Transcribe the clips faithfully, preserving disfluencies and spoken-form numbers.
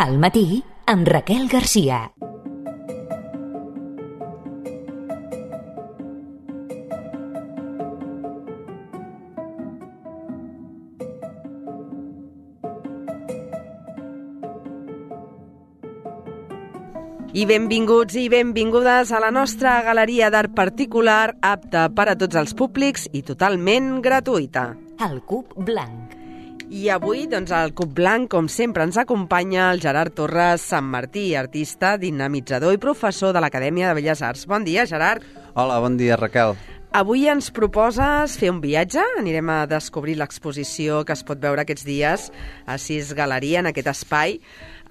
Al matí, amb Raquel Garcia. I benvinguts i benvingudes a la nostra galeria d'art particular, apta per a tots els públics i totalment gratuïta. El Cub Blanc. I avui, doncs, al Cub Blanc, com sempre, ens acompanya el Gerard Torres Sant Martí, artista, dinamitzador i professor de l'Acadèmia de Belles Arts. Bon dia, Gerard. Hola, bon dia, Raquel. Avui ens proposes fer un viatge. Anirem a descobrir l'exposició que es pot veure aquests dies a Sis Galeria, en aquest espai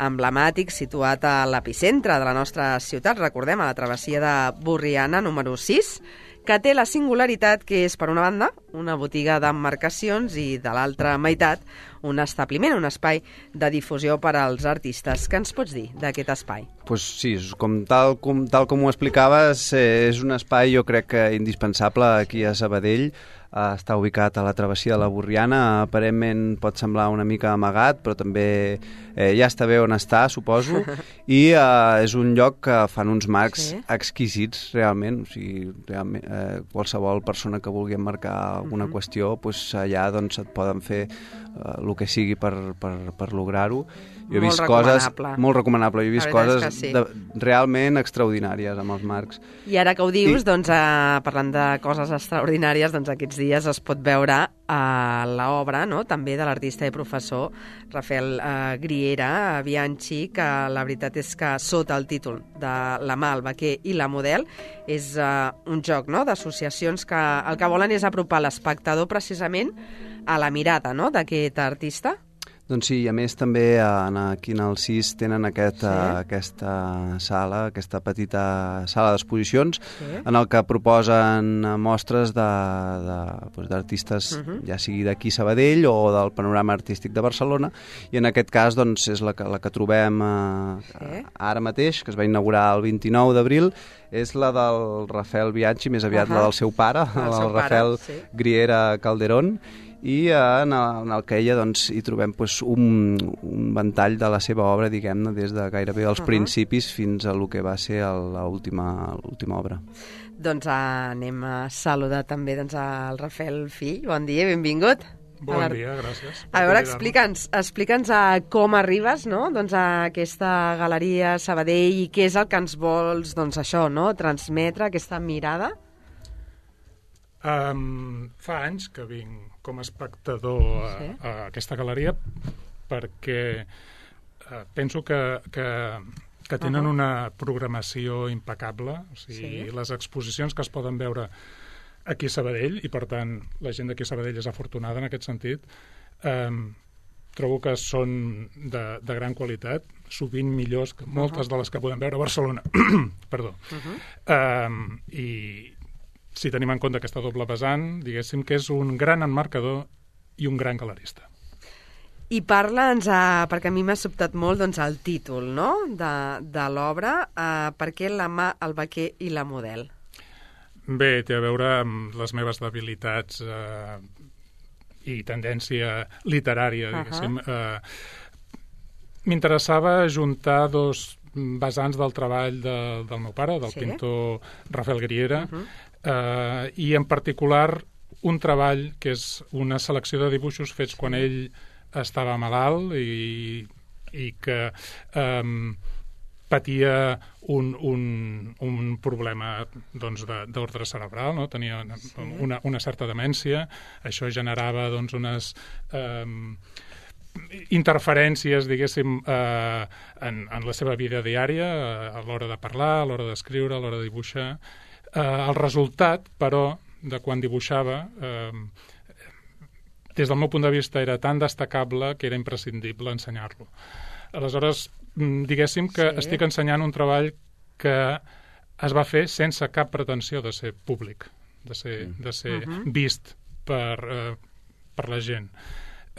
emblemàtic situat a l'epicentre de la nostra ciutat, recordem, a la travessia de Borriana, número sis, que té la singularitat que és, per una banda, una botiga d'emmarcacions i, de l'altra meitat, un establiment, un espai de difusió per als artistes. Què ens pots dir d'aquest espai? Pues sí, com tal, com, tal com ho explicaves, és un espai, jo crec que indispensable aquí a Sabadell. Uh, està ubicat a la travessia de la Borriana, aparentment pot semblar una mica amagat, però també eh, ja està bé on està, suposo, i uh, és un lloc que fan uns marcs sí. exquisits, realment, o sigui, realment eh, qualsevol persona que vulgui emmarcar alguna uh-huh. qüestió, pues, allà doncs, et poden fer uh, el que sigui per, per, per lograr-ho. Jo he vist coses molt recomanable, jo he vist coses sí. de, realment extraordinàries amb els marcs. I ara que ho dius, I... doncs, eh, parlant de coses extraordinàries, doncs aquests dies es pot veure a l'obra, no?, també de l'artista i professor Rafael eh, Griera, Bianchi, que la veritat és que sota el títol de La mà, el vaquer i la model és eh, un joc, no?, d'associacions que el que volen és apropar l'espectador precisament a la mirada, no?, d'aquest artista. Doncs sí, i a més també en, aquí en el sis tenen aquest, sí. uh, aquesta sala, aquesta petita sala d'exposicions sí. en el que proposen mostres de, de, doncs, d'artistes, uh-huh. ja sigui d'aquí Sabadell o del panorama artístic de Barcelona, i en aquest cas doncs, és la que, la que trobem uh, sí. ara mateix, que es va inaugurar el vint-i-nou d'abril, és la del Rafael Bianchi, més aviat uh-huh. la del seu pare, el, el Rafael pare, sí. Griera Calderón, i en el, en el que ella doncs, hi trobem pues, un, un ventall de la seva obra, diguem-ne, des de gairebé els uh-huh. principis fins a lo que va ser l'última obra. Doncs uh, anem a saludar també doncs, al Rafael fill. Bon dia, benvingut. Bon dia, gràcies. A veure, explica'ns explica'ns a com arribes, no?, doncs, a aquesta galeria Sabadell i què és el que ens vols, doncs, això, no?, transmetre, aquesta mirada. Um, fa anys que vinc com a espectador a, sí. a aquesta galeria perquè uh, penso que, que, que tenen uh-huh. una programació impecable, o sigui, sí. les exposicions que es poden veure aquí a Sabadell, i per tant la gent d'aquí a Sabadell és afortunada en aquest sentit, um, trobo que són de, de gran qualitat, sovint millors que moltes uh-huh. de les que podem veure a Barcelona. Perdó. Uh-huh. Um, i si tenim en compte aquesta doble vessant, diguéssim que és un gran emmarcador i un gran galerista. I parla'ns, uh, perquè a mi m'ha sobtat molt doncs, el títol, no?, de, de l'obra, uh, per què La mà, el vaquer i la model? Bé, té a veure amb les meves debilitats uh, i tendència literària, diguéssim. Uh-huh. Uh, m'interessava juntar dos vessants del treball de, del meu pare, del sí? pintor Rafael Griera, uh-huh. Uh, i en particular un treball que és una selecció de dibuixos fets sí. quan ell estava malalt i, i que um, patia un, un, un problema doncs, d'ordre cerebral, no? Tenia una, sí. una, una certa demència, això generava doncs, unes um, interferències, diguéssim, eh, en, en la seva vida diària, a l'hora de parlar, a l'hora d'escriure, a l'hora de dibuixar. Eh, el resultat, però, de quan dibuixava, eh, des del meu punt de vista era tan destacable que era imprescindible ensenyar-lo. Aleshores, diguéssim que sí. estic ensenyant un treball que es va fer sense cap pretensió de ser públic, de ser, de ser uh-huh. vist per, eh, per la gent.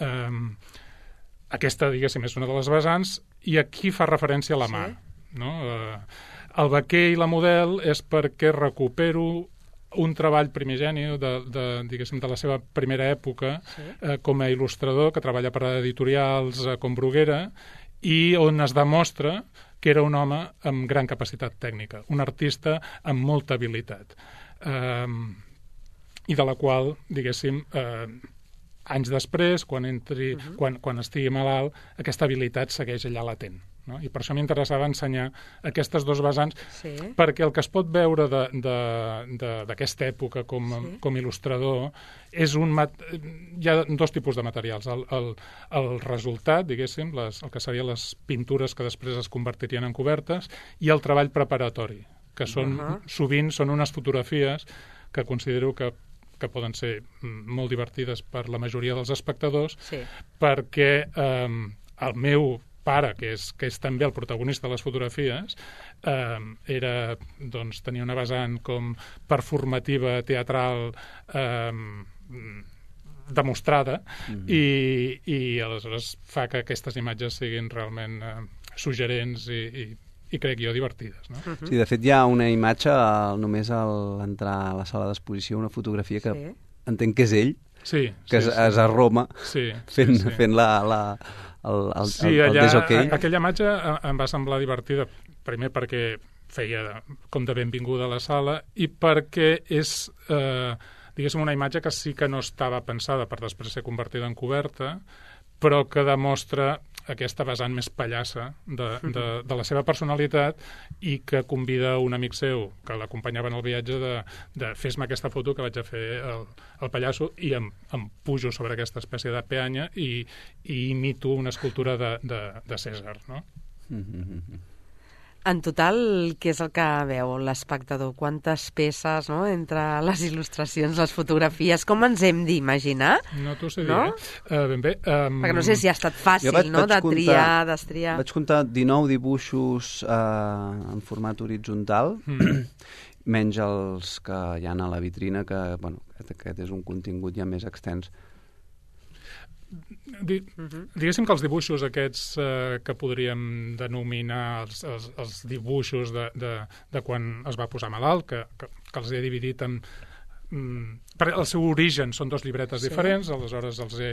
Eh, aquesta, diguéssim, és una de les vessants, i aquí fa referència a la mà. Sí. No? Eh, El vaquer i la model és perquè recupero un treball primigeni de, de, diguéssim, de la seva primera època sí. eh, com a il·lustrador, que treballa per a editorials eh, com Bruguera, i on es demostra que era un home amb gran capacitat tècnica, un artista amb molta habilitat, eh, i de la qual, diguéssim, eh, anys després, quan, entri, uh-huh. quan, quan estigui malalt, aquesta habilitat segueix allà latent. No? I per això m'interessava ensenyar aquestes dos vessants, sí. perquè el que es pot veure d'aquesta època com, sí. com il·lustrador és un... Mat... Hi ha dos tipus de materials. El, el, el resultat, diguéssim, les, el que serien les pintures que després es convertirien en cobertes, i el treball preparatori, que són, uh-huh. sovint són unes fotografies que considero que que poden ser molt divertides per la majoria dels espectadors, sí. perquè eh, el meu pare, que és, que és també el protagonista de les fotografies, eh, era, doncs, tenia una vessant com performativa, teatral, eh, demostrada, mm-hmm. i, i aleshores fa que aquestes imatges siguin realment eh, suggerents i, i i crec jo divertides. No? Uh-huh. Sí, de fet hi ha una imatge al, només a l'entrar a la sala d'exposició, una fotografia que sí. entenc que és ell, sí, que sí, és, sí. és a Roma, sí, fent, sí, sí. fent la, la, el, el, sí, el, el allà, deshoquei. Aquella imatge em va semblar divertida, primer perquè feia com de benvinguda a la sala i perquè és, eh, diguéssim, una imatge que sí que no estava pensada per després ser convertida en coberta, però que demostra aquesta vessant més pallassa de, de, de la seva personalitat i que convida un amic seu que l'acompanyava en el viatge de, de fes-me aquesta foto que vaig a fer el, el pallasso i em, em pujo sobre aquesta espècie de peanya i, i imito una escultura de, de, de Cèsar, no? Mm-hmm. En total, què és el que veu l'espectador? Quantes peces, no?, entre les il·lustracions, les fotografies, com ens hem d'imaginar? No t'ho sé no? dir, eh? Uh, ben bé. Um... Perquè no sé si ha estat fàcil, vaig, no?, vaig de comptar, triar, d'estriar. Vaig comptar dinou dibuixos eh, en format horitzontal, mm. menys els que hi ha a la vitrina, que, bueno, aquest és un contingut ja més extens. Di, diguéssim que els dibuixos aquests eh, que podríem denominar els, els, els dibuixos de, de, de quan es va posar malalt, que, que, que els he dividit en... Mm, per el seu origen són dos llibretes sí. diferents, aleshores els he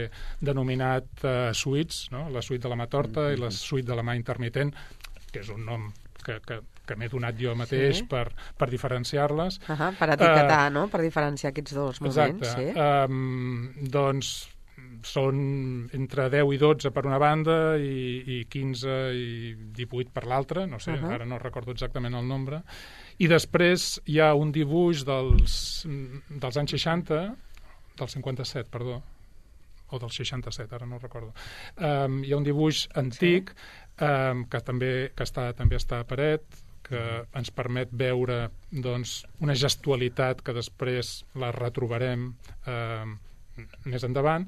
denominat eh, suites, no? La suite de la mà torta mm-hmm. i la suite de la mà intermitent, que és un nom que, que, que m'he donat jo mateix sí. per, per diferenciar-les. Uh-huh, per etiquetar, uh, no?, per diferenciar aquests dos moments. Exacte. Sí. Um, doncs són entre deu i dotze per una banda i, i quinze i divuit per l'altra, no sé, uh-huh. ara no recordo exactament el nombre. I després hi ha un dibuix dels, dels anys seixanta, del cinquanta-set, perdó, o del seixanta-set, ara no recordo. Um, hi ha un dibuix antic sí. um, que també que està, també està a paret, que ens permet veure doncs, una gestualitat que després la retrobarem um, més endavant,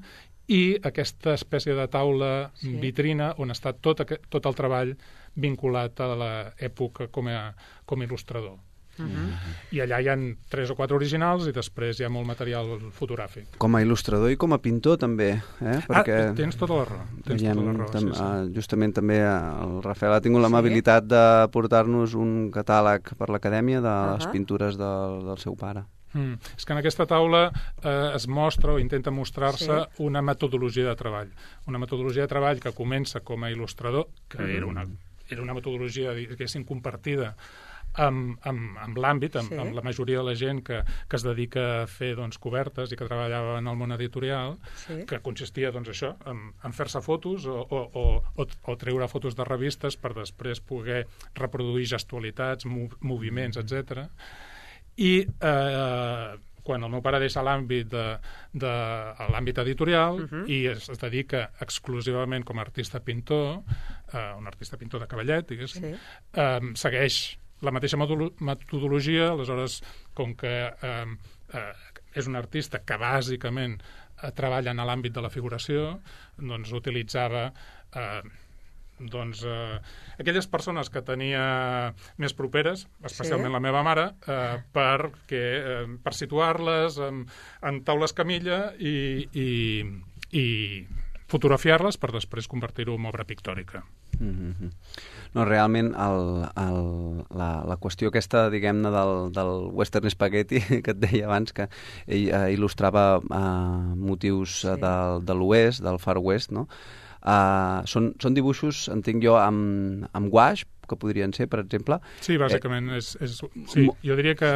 i aquesta espècie de taula sí. vitrina on està tot, aquest, tot el treball vinculat a l'època com a, com a il·lustrador. Uh-huh. I allà hi ha tres o quatre originals i després hi ha molt material fotogràfic. Com a il·lustrador i com a pintor també, eh? Perquè ah, tens tota la raó. Tens veiem, tota la raó tam, sí, sí. Justament també el Rafael ha tingut l'amabilitat sí? de portar-nos un catàleg per l'Acadèmia de uh-huh. les pintures del, del seu pare. Mm. És que en aquesta taula eh, es mostra o intenta mostrar-se sí. una metodologia de treball. Una metodologia de treball que comença com a il·lustrador, que mm. era, una, era una metodologia, diguéssim, compartida amb, amb, amb l'àmbit, amb, sí. amb la majoria de la gent que, que es dedica a fer doncs, cobertes i que treballava en el món editorial, sí. que consistia doncs, això, en, en fer-se fotos o, o, o, o, o treure fotos de revistes per després poder reproduir gestualitats, mov, moviments, etcètera. I eh, quan el meu pare deixa l'àmbit de, de, l'àmbit editorial uh-huh. i es, es dedica exclusivament com a artista pintor, eh, un artista pintor de cavallet, diguéssim, sí. eh, segueix la mateixa metodologia, aleshores, com que eh, eh, és un artista que bàsicament eh, treballa en l'àmbit de la figuració, doncs utilitzava... Eh, doncs, eh, aquelles persones que tenia més properes, especialment sí. la meva mare, eh, perquè, eh, per situar-les en, en taules camilla i, i, i fotografiar-les per després convertir-ho en obra pictòrica. Mm-hmm. No, realment el, el, la, la qüestió aquesta, diguem-ne, del, del western spaghetti que et deia abans, que ell eh, il·lustrava eh, motius sí. de, de l'oest, del Far West, no? Uh, són, són dibuixos, entenc jo, amb, amb guaix, que podrien ser, per exemple. Sí, bàsicament, eh, és, és, sí, jo diria que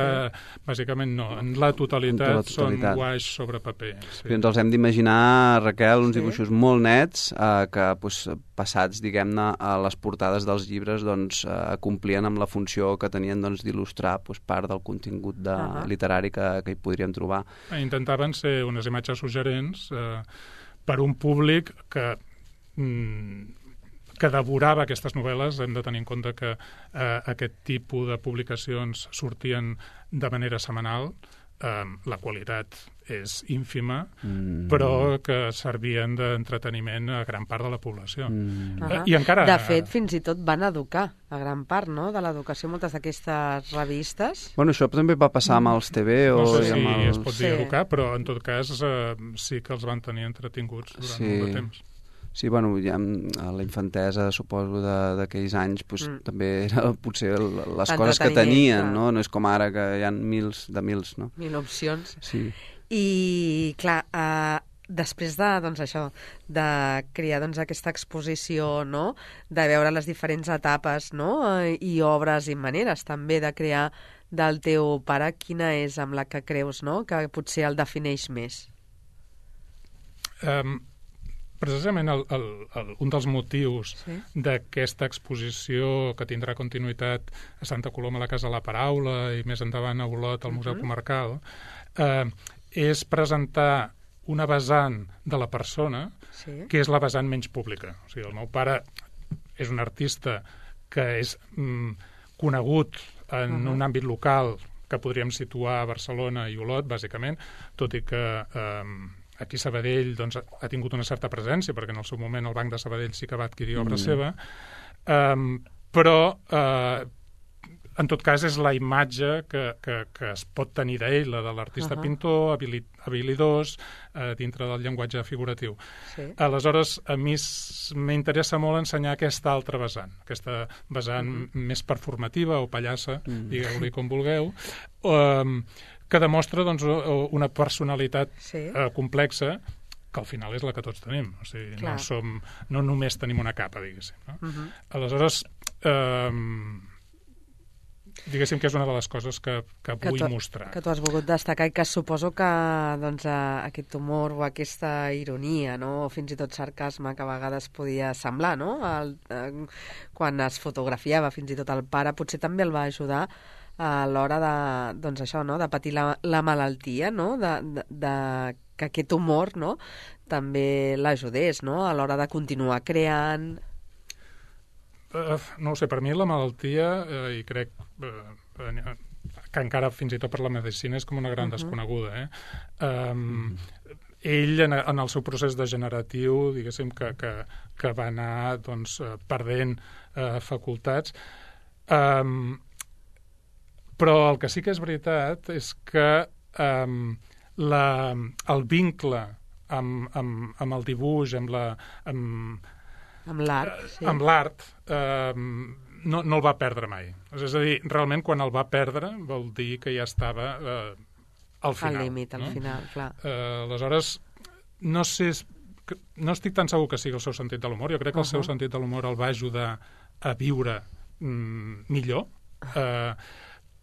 bàsicament no, en la totalitat, en la totalitat. Són guaix sobre paper. Sí. Ens els hem d'imaginar, Raquel, uns sí. dibuixos molt nets eh, que, doncs, passats, diguem-ne, a les portades dels llibres, doncs, eh, complien amb la funció que tenien, doncs, d'il·lustrar, doncs, part del contingut de, uh -huh. literari que, que hi podríem trobar. Intentaven ser unes imatges suggerents eh, per un públic que mm, que devorava aquestes novel·les. Hem de tenir en compte que eh, aquest tipus de publicacions sortien de manera setmanal, eh, la qualitat és ínfima, mm. però que servien d'entreteniment a gran part de la població. Mm. Uh -huh. I encara... De fet, fins i tot van educar a gran part, no?, de l'educació, moltes d'aquestes revistes. Bueno, això també va passar amb els T V o... No sé si amb els... es pot dir sí. educar, però en tot cas eh, sí que els van tenir entretinguts durant sí. molt de temps. Sí, bueno, ja a la infantesa, suposo, d'aquells anys, pues, mm. també era potser les coses que tenien, no? No és com ara que hi ha mils de mils, no? Mil opcions. Sí. I, clar, uh, després de, doncs, això, de crear, doncs, aquesta exposició, no?, de veure les diferents etapes, no?, i obres i maneres, també, de crear del teu pare, quina és amb la que creus, no?, que potser el defineix més? Um... Precisament el, el, el, un dels motius sí. d'aquesta exposició que tindrà continuïtat a Santa Coloma a la Casa de la Paraula i més endavant a Olot al Museu uh-huh. Comarcal eh, és presentar una vessant de la persona sí. que és la vessant menys pública. O sigui, el meu pare és un artista que és mm, conegut en uh-huh. un àmbit local que podríem situar a Barcelona i Olot, bàsicament, tot i que... Eh, aquí Sabadell doncs, ha tingut una certa presència, perquè en el seu moment el Banc de Sabadell sí que va adquirir obra mm. seva, um, però uh, en tot cas és la imatge que, que, que es pot tenir d'ell, la de l'artista uh -huh. pintor, habili, habilidós, uh, dintre del llenguatge figuratiu. Sí. Aleshores, a mi m'interessa molt ensenyar aquesta altra vessant, aquesta vessant uh -huh. més performativa o pallassa, uh -huh. digueu-li com vulgueu, um, que demostra doncs, una personalitat sí. eh, complexa que al final és la que tots tenim. O sigui, no, som, no només tenim una capa, diguéssim. No? Uh-huh. Aleshores, eh, diguéssim que és una de les coses que, que, que vull tu, mostrar. Que tu has volgut destacar i que suposo que doncs, aquest humor o aquesta ironia, no? O fins i tot sarcasme que a vegades podia semblar, no? El, eh, quan es fotografiava fins i tot el pare, potser també el va ajudar a l'hora de, doncs això, no?, de patir la, la malaltia, no?, de, de, de que aquest humor, no?, també l'ajudés, no?, a l'hora de continuar creant. Uh, no ho sé, per mi la malaltia, uh, i crec uh, que encara fins i tot per la medicina és com una gran uh-huh. desconeguda, eh? Um, uh-huh. Ell, en, en el seu procés degeneratiu, diguéssim, que, que, que va anar, doncs, perdent uh, facultats, um, però el que sí que és veritat és que um, la, el vincle amb, amb, amb el dibuix, amb la... Amb, amb l'art, sí. Amb l'art, um, no, no el va perdre mai. És a dir, realment, quan el va perdre, vol dir que ja estava uh, al final. Al límit, al no? final, clar. Uh, aleshores, no sé... No estic tan segur que sigui el seu sentit de l'humor. Jo crec que el uh-huh. seu sentit de l'humor el va ajudar a viure mm, millor. Uh,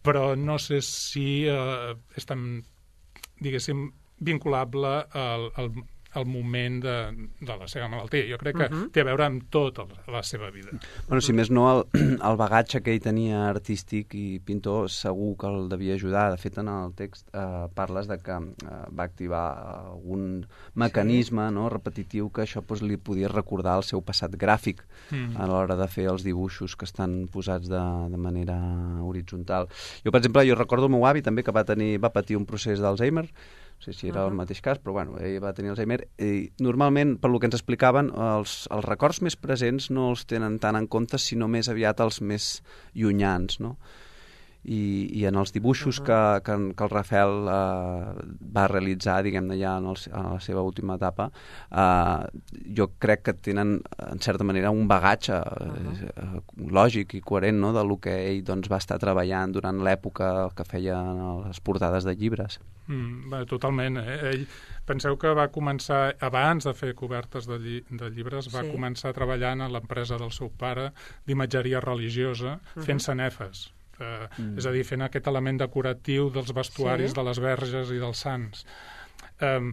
però no sé si eh, és tan, diguéssim, vinculable al, al, al moment de, de la seva malaltia. Jo crec que uh-huh. té a veure amb tota la seva vida. Bueno, si més no, el, el bagatge que ell tenia artístic i pintor segur que el devia ajudar. De fet, en el text eh, parles de que eh, va activar algun mecanisme sí. no, repetitiu que això pues, li podia recordar el seu passat gràfic mm. a l'hora de fer els dibuixos que estan posats de, de manera horitzontal. Jo, per exemple, jo recordo el meu avi també que va, tenir, va patir un procés d'Alzheimer. No sé si era uh-huh. el mateix cas, però bueno, ell va tenir Alzheimer. I normalment, per lo que ens explicaven, els, els records més presents no els tenen tant en compte, sinó més aviat els més llunyans, no? i, i en els dibuixos uh -huh. que, que, que el Rafael eh, va realitzar, diguem-ne, ja en, el, en la seva última etapa, eh, jo crec que tenen, en certa manera, un bagatge uh -huh. eh, lògic i coherent, no?, de lo que ell doncs, va estar treballant durant l'època que feia les portades de llibres. Mm, bé, totalment. Eh? Ell, penseu que va començar, abans de fer cobertes de, lli de llibres, va sí. començar treballant a l'empresa del seu pare d'imatgeria religiosa, uh-huh. fent sanefes. Eh, mm. És a dir, fent aquest element decoratiu dels vestuaris sí. de les verges i dels sants. Eh,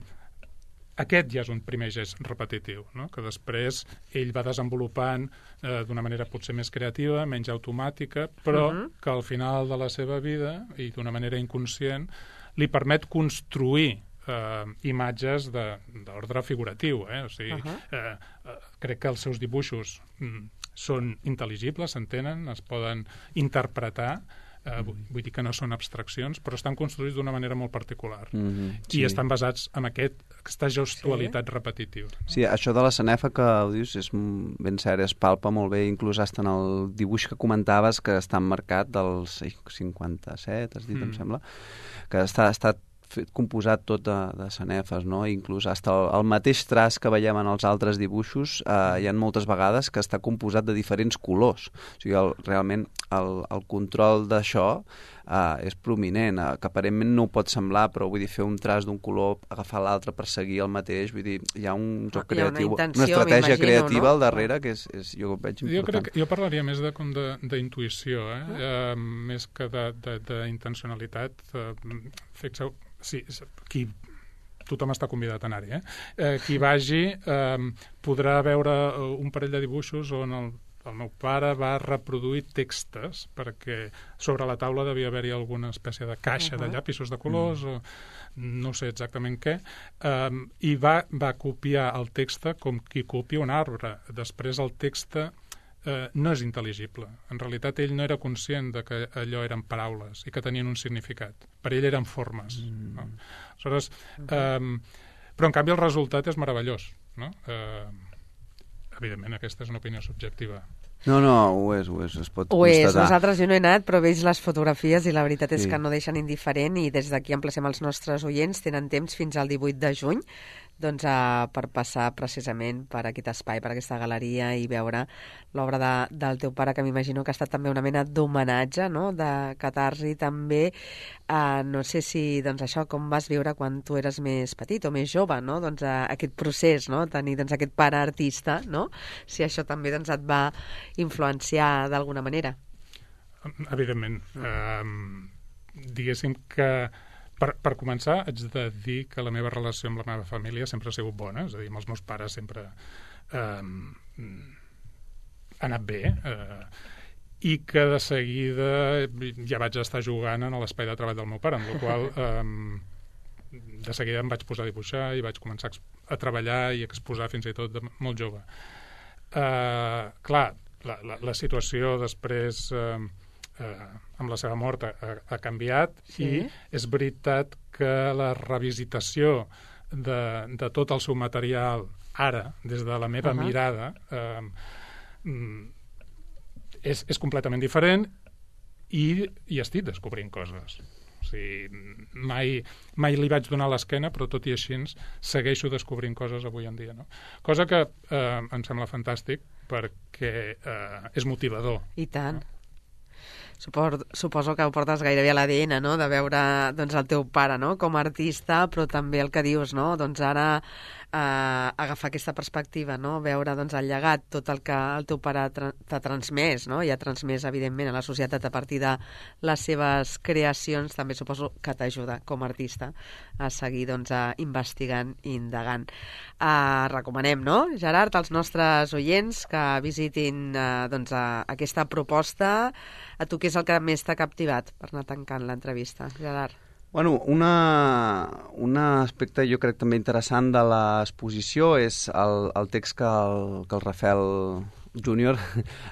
aquest ja és un primer gest repetitiu, no? Que després ell va desenvolupant eh, d'una manera potser més creativa, menys automàtica, però uh-huh. que al final de la seva vida, i d'una manera inconscient, li permet construir eh, imatges d'ordre figuratiu. Eh? O sigui, uh-huh. eh, eh, crec que els seus dibuixos mm, són intel·ligibles, s'entenen, es poden interpretar, eh, vull, vull dir que no són abstraccions, però estan construïts d'una manera molt particular. Mm-hmm, sí. I estan basats en aquest, aquesta gestualitat sí. repetitiva. No? Sí, això de la sanefa que ho dius és ben cert, es palpa molt bé, inclús hasta en el dibuix que comentaves, que està emmarcat dels cinquanta-set, has dit, mm. em sembla, que està, està fet, composat tot de, de sanefes, no? Inclús hasta el, el mateix traç que veiem en els altres dibuixos, eh, hi ha moltes vegades que està composat de diferents colors. O sigui, el, realment el, el control d'això eh, és prominent, eh, que aparentment no ho pot semblar, però vull dir, fer un traç d'un color, agafar l'altre per seguir el mateix, vull dir, hi ha un joc creatiu, una, intenció, una estratègia creativa no? al darrere que és, és, jo ho veig important. Jo crec que jo parlaria més de, com d'intuïció, eh? uh. eh, més que d'intencionalitat. Eh, Fixeu, sí, qui, tothom està convidat a anar-hi, eh? eh? Qui vagi eh, podrà veure un parell de dibuixos on el, el meu pare va reproduir textos, perquè sobre la taula devia haver-hi alguna espècie de caixa uh -huh. de llapisos de colors, uh -huh. o no sé exactament què, eh, i va, va copiar el text com qui copia un arbre. Després el text eh, no és intel·ligible. En realitat ell no era conscient de que allò eren paraules i que tenien un significat. Per ell eren formes. Mm. No? Aleshores, eh, però en canvi el resultat és meravellós. No? Eh, evidentment, aquesta és una opinió subjectiva. No, no, ho és, ho és, es pot ho constatar. Ho és, nosaltres jo no he anat, però veig les fotografies i la veritat és sí. que no deixen indiferent, i des d'aquí emplacem els nostres oients, tenen temps fins al divuit de juny, doncs, uh, per passar precisament per aquest espai, per aquesta galeria, i veure l'obra de, del teu pare, que m'imagino que ha estat també una mena d'homenatge, no?, de catarsi també. Uh, no sé si, doncs, això, com vas viure quan tu eres més petit o més jove, no?, doncs, uh, aquest procés, no?, tenir, doncs, aquest pare artista, no?, si això també, doncs, et va influenciar d'alguna manera. Evidentment. Uh, diguéssim que Per, per començar, haig de dir que la meva relació amb la meva família sempre ha sigut bona, és a dir, amb els meus pares sempre eh, ha anat bé, eh, i que de seguida ja vaig estar jugant en l'espai de treball del meu pare, amb la qual eh, de seguida em vaig posar a dibuixar i vaig començar a treballar i a exposar fins i tot de molt jove. Eh, clar, la, la, la situació després... Eh, Eh, amb la seva mort ha, ha canviat, sí. I és veritat que la revisitació de, de tot el seu material ara, des de la meva uh-huh. mirada, eh, és, és completament diferent, i, i estic descobrint coses. O sigui, mai, mai li vaig donar l'esquena, però tot i així segueixo descobrint coses avui en dia. No? Cosa que eh, em sembla fantàstic, perquè eh, és motivador. I tant. No? Suposo, suposo que ho portes gairebé a l'A D N, no?, de veure, doncs, el teu pare, no?, com a artista, però també el que dius, no?, doncs ara eh, agafar aquesta perspectiva, no?, veure, doncs, el llegat, tot el que el teu pare t'ha transmès, no?, i ha transmès, evidentment, a la societat a partir de les seves creacions, també suposo que t'ajuda com a artista a seguir, doncs, a investigant i indagant. Eh, recomanem, no, Gerard, als nostres oients que visitin eh, doncs, a, aquesta proposta. A tu què és el que més t'ha captivat per anar tancant l'entrevista, Gerard? Bueno, una, un aspecte jo crec també interessant de l'exposició és el, el text que el, que el Rafael júnior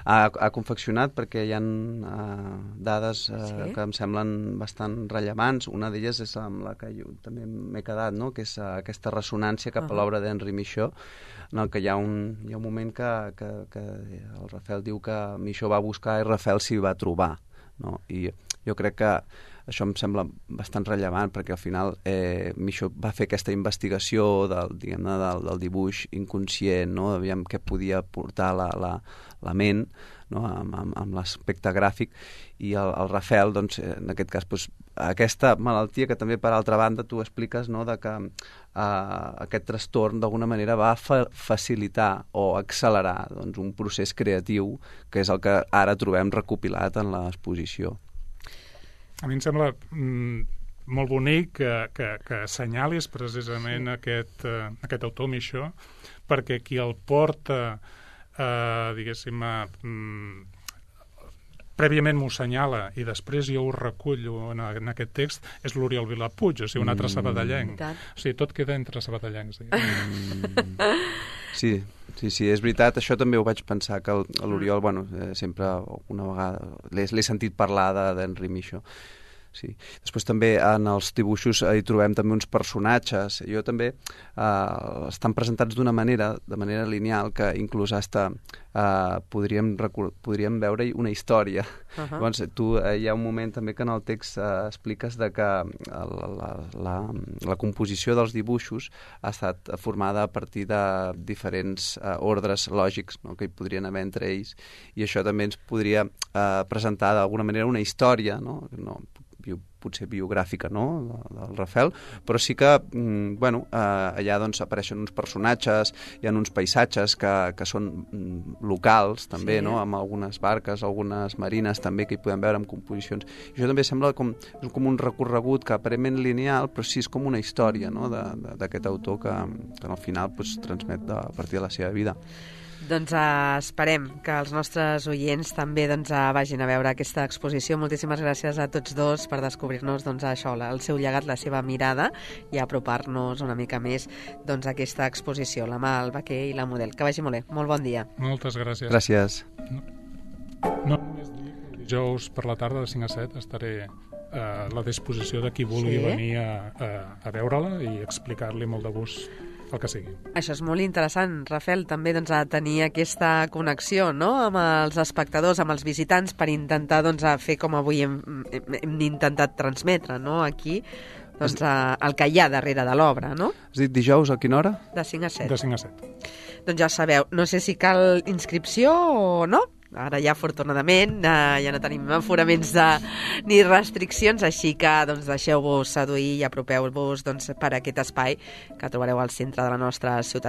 ha, ha confeccionat, perquè hi ha uh, dades uh, sí? que em semblen bastant rellevants. Una d'elles és amb la que jo també m'he quedat, no?, que és uh, aquesta ressonància cap uh-huh. a l'obra d'Henri Michaud, en el que hi ha un, hi ha un moment que, que, que el Rafael diu que Michaud va buscar i Rafael s'hi va trobar. No? I jo crec que això em sembla bastant rellevant perquè al final eh, Michaud va fer aquesta investigació del, diguem-ne, del, del dibuix inconscient, no? Aviam què podia portar la, la, la ment, no? amb, amb, amb l'aspecte gràfic, i el, el Rafael, doncs, en aquest cas, doncs, aquesta malaltia que també, per altra banda, tu expliques, no? De que eh, aquest trastorn d'alguna manera va fa facilitar o accelerar, doncs, un procés creatiu que és el que ara trobem recopilat en l'exposició. A mi em sembla mm, molt bonic que, que, que assenyalis precisament sí. aquest, uh, aquest autor, Michaud, perquè qui el porta, uh, diguéssim, a, mm, prèviament m'ho assenyala i després jo ho recullo en, en aquest text, és l'Oriol Vilapuig, o sigui, un altre sabadellenc. Mm. O sigui, tot queda entre sabadellencs. Mm. Sí, sí, sí, és veritat, això també ho vaig pensar, que l'Oriol, bueno, eh, sempre una vegada l'he sentit parlar d'Henri Michaud. Sí. Després també en els dibuixos hi trobem també uns personatges. Jo també eh, estan presentats d'una manera, de manera lineal, que inclús hasta eh, podríem, podríem veure una història. Uh-huh. Llavors, tu, eh, hi ha un moment també que en el text eh, expliques de que la, la, la, la composició dels dibuixos ha estat formada a partir de diferents eh, ordres lògics, no?, que hi podrien haver entre ells, i això també ens podria eh, presentar d'alguna manera una història, no? No bio, potser biogràfica, no?, del Rafael, però sí que, mm, bueno, eh, allà doncs apareixen uns personatges, hi ha uns paisatges que, que són mm, locals, també, sí, no?, amb algunes barques, algunes marines també que hi podem veure amb composicions. I això també sembla com, com un recorregut que aparentment lineal, però sí és com una història, no?, d'aquest autor que, que al final pues, transmet de, a partir de la seva vida. Doncs uh, esperem que els nostres oients també doncs, uh, vagin a veure aquesta exposició. Moltíssimes gràcies a tots dos per descobrir-nos doncs, això, el seu llegat, la seva mirada, i apropar-nos una mica més doncs, a aquesta exposició, la mà, el vaquer i la model. Que vagi molt bé. Molt bon dia. Moltes gràcies. Gràcies. No, no només dir que el dijous per la tarda de cinc a set estaré a la disposició de qui vulgui sí? venir a, a, a veure-la i explicar-li molt de gust el que sigui. Això és molt interessant, Rafael, també doncs, a tenir aquesta connexió, no?, amb els espectadors, amb els visitants, per intentar doncs, a fer com avui hem, hem intentat transmetre, no?, aquí doncs, a, el que hi ha darrere de l'obra, no? Has dit dijous a quina hora? De cinc a set. De cinc a set. Doncs ja sabeu, no sé si cal inscripció o no. Ara ja, afortunadament, eh, ja no tenim aforaments de, ni restriccions, així que doncs, deixeu-vos seduir i apropeu-vos doncs, per aquest espai que trobareu al centre de la nostra ciutat.